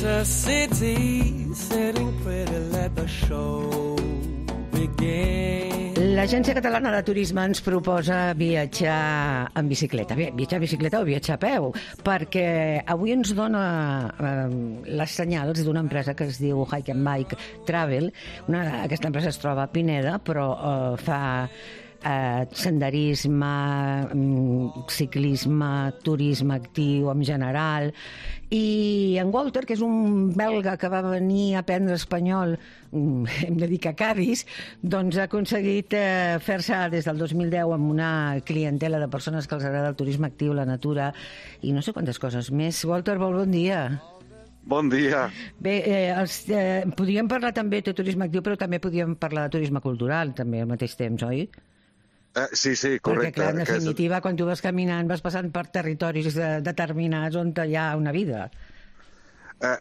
a city sitting pretty, let the show begin. L'Agència Catalana de Turisme ens proposa viatjar en bicicleta. Viatjar en bicicleta o viatjar a peu, perquè avui ens dona les senyals d'una empresa que es diu Hike and Bike Travel. Aquesta empresa es troba a Pineda, però fa senderisme, ciclisme, turisme actiu en general. I en Walter, que és un belga que va venir a aprendre espanyol, hem de dir que a Cádiz, doncs ha aconseguit fer-se des del 2010 amb una clientela de persones que els agrada el turisme actiu, la natura i no sé quantes coses més. Walter, bon dia. Bon dia. Bé, podríem parlar també de turisme actiu, però també podríem parlar de turisme cultural també al mateix temps, oi? Sí, correcte. Perquè, clar, en definitiva, quan tu vas caminant vas passant per territoris determinats on hi ha una vida.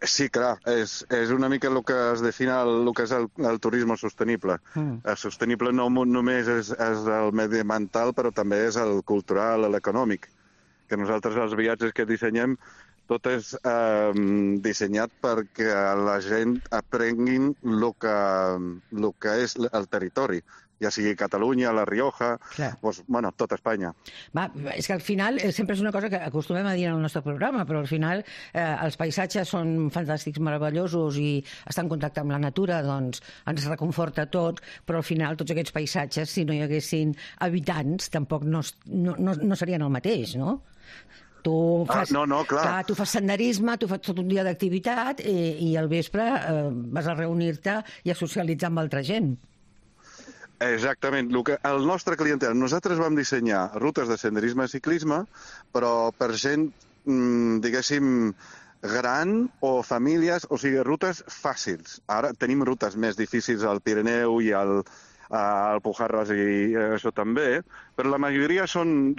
Sí, clar, és una mica el que es define el que és el turisme sostenible. El sostenible no només és el mediambiental, però també és el cultural, l'econòmic. Que nosaltres els viatges que dissenyem tot és dissenyat perquè la gent aprenguin el que és el territori, ja sigui Catalunya, La Rioja, doncs, bueno, tot Espanya. És que al final sempre és una cosa que acostumem a dir en el nostre programa, però al final els paisatges són fantàstics, meravellosos i estar en contacte amb la natura doncs ens reconforta tot, però al final tots aquests paisatges, si no hi haguessin habitants, tampoc no serien el mateix, no? Tu fas senderisme, tu fas tot un dia d'activitat i al vespre vas a reunir-te i a socialitzar amb altra gent. Exactament. El nostre clientel, nosaltres vam dissenyar rutes de senderisme i ciclisme, però per gent, diguéssim, gran o famílies, o sigui, rutes fàcils. Ara tenim rutes més difícils al Pirineu i al Pujarras i això també, però la majoria són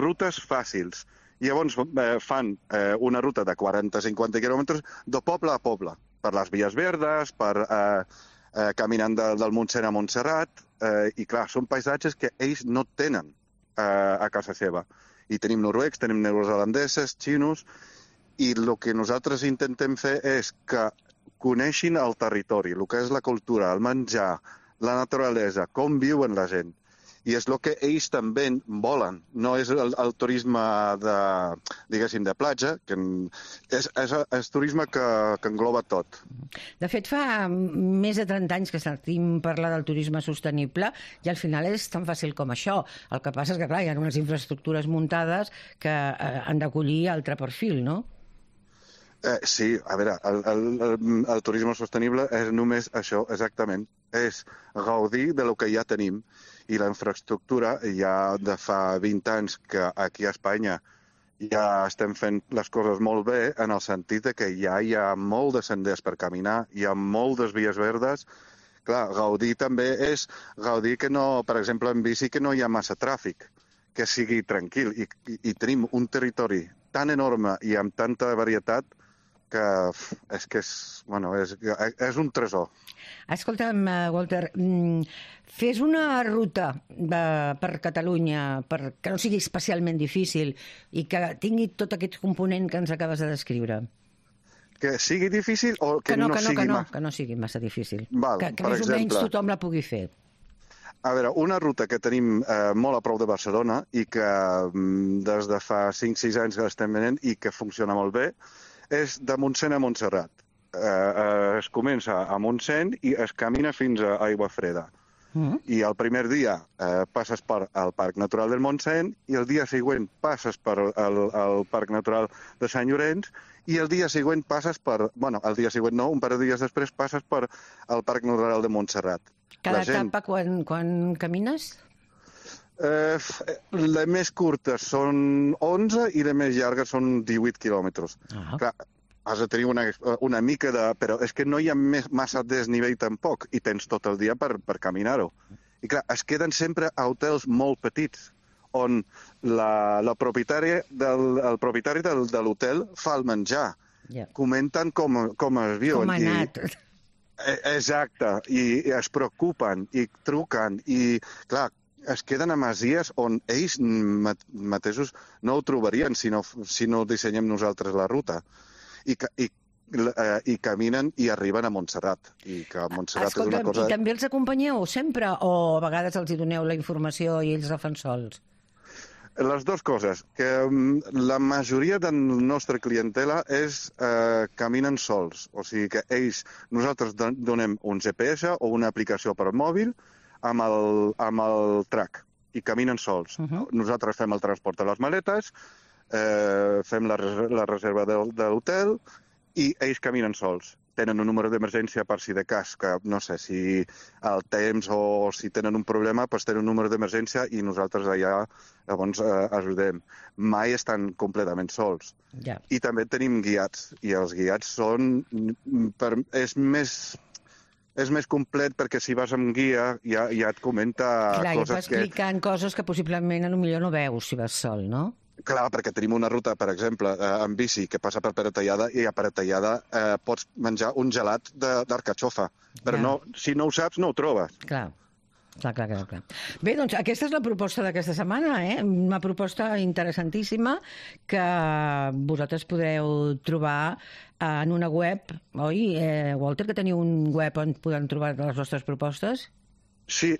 rutes fàcils. Llavors fan una ruta de 40-50 quilòmetres de poble a poble, per les vies verdes, caminant del Montseny a Montserrat, i clar, són paisatges que ells no tenen a casa seva. I tenim noruecs, tenim neozelandeses, xinos, i el que nosaltres intentem fer és que coneixin el territori, el que és la cultura, el menjar, la naturalesa, com viuen la gent. I és el que ells també volen. No és el turisme de platja, que és turisme que engloba tot. De fet, fa més de 30 anys que sentim parlar del turisme sostenible i al final és tan fàcil com això. El que passa és que, clar, hi ha unes infraestructures muntades que han d'acollir altre perfil, no? Sí, a veure, el turisme sostenible és només això, exactament. És gaudir del que ja tenim. I la infraestructura ja de fa 20 anys que aquí a Espanya ja estem fent les coses molt bé en el sentit que ja hi ha molt de senders per caminar, hi ha moltes vies verdes. Clar, gaudir també és gaudir que no, per exemple, en bici que no hi ha massa tràfic, que sigui tranquil. I tenim un territori tan enorme i amb tanta varietat que és un tresor. Escolta'm, Walter, fes una ruta per Catalunya que no sigui especialment difícil i que tingui tot aquest component que ens acabes de descriure. Que sigui difícil o que no sigui massa? Que no sigui massa difícil. Que més o menys tothom la pugui fer. A veure, una ruta que tenim molt a prop de Barcelona i que des de fa 5-6 anys que l'estem venent i que funciona molt bé és de Montseny a Montserrat. Es comença a Montseny i es camina fins a Aiguafreda. I el primer dia passes per al Parc Natural del Montseny i el dia següent passes per al Parc Natural de Sant Llorenç i el dia següent passes per... el dia següent no, un parell de dies després passes per al Parc Natural de Montserrat. Cada etapa quan camines? Les més curtes són 11 i les més llargues són 18 quilòmetres. Clar, has de tenir una mica de... Però és que no hi ha massa desnivell tampoc i tens tot el dia per caminar-ho. I clar, es queden sempre a hotels molt petits on el propietari de l'hotel fa el menjar. Comenten com es viuen. Com ha anat. Exacte, i es preocupen i truquen i, clar, es queden a masies on ells mateixos no ho trobarien si no dissenyem nosaltres la ruta. I i caminen i arriben a Montserrat. I que Montserrat és una cosa... I també els acompanyeu sempre o a vegades els hi doneu la informació i ells la fan sols? Les dues coses, que la majoria de la nostra clientela caminen sols, o sigui que nosaltres donem un GPS o una aplicació per al mòbil amb el track i caminen sols. Nosaltres fem el transport de les maletes, fem la reserva de l'hotel i ells caminen sols. Tenen un número d'emergència per si de cas, que no sé si el temps o si tenen un problema, doncs tenen un número d'emergència i nosaltres allà llavors ajudem. Mai estan completament sols. Ja. I també tenim guiats, i els guiats són... És més complet perquè si vas amb guia ja et comenta clar, coses que... Clar, i va explicant coses que possiblement potser no veus si vas sol, no? Clar, perquè tenim una ruta, per exemple, en bici, que passa per Peratallada, i a Peratallada pots menjar un gelat d'arcatxofa. Però no, si no ho saps, no ho trobes. Clar. Bé, doncs aquesta és la proposta d'aquesta setmana, una proposta interessantíssima que vosaltres podeu trobar en una web, oi, Walter, que teniu un web on podem trobar les vostres propostes? Sí,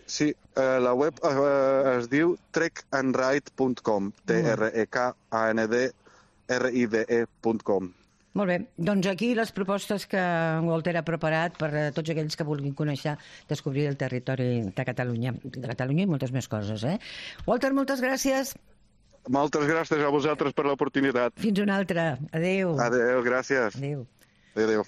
la web es diu trekandride.com, trekandride.com. Molt bé, doncs aquí les propostes que Walter ha preparat per a tots aquells que vulguin conèixer, descobrir el territori de Catalunya i moltes més coses, Walter, moltes gràcies. Moltes gràcies a vosaltres per l'oportunitat. Fins una altra. Adéu. Adéu, gràcies. Adéu. Adéu.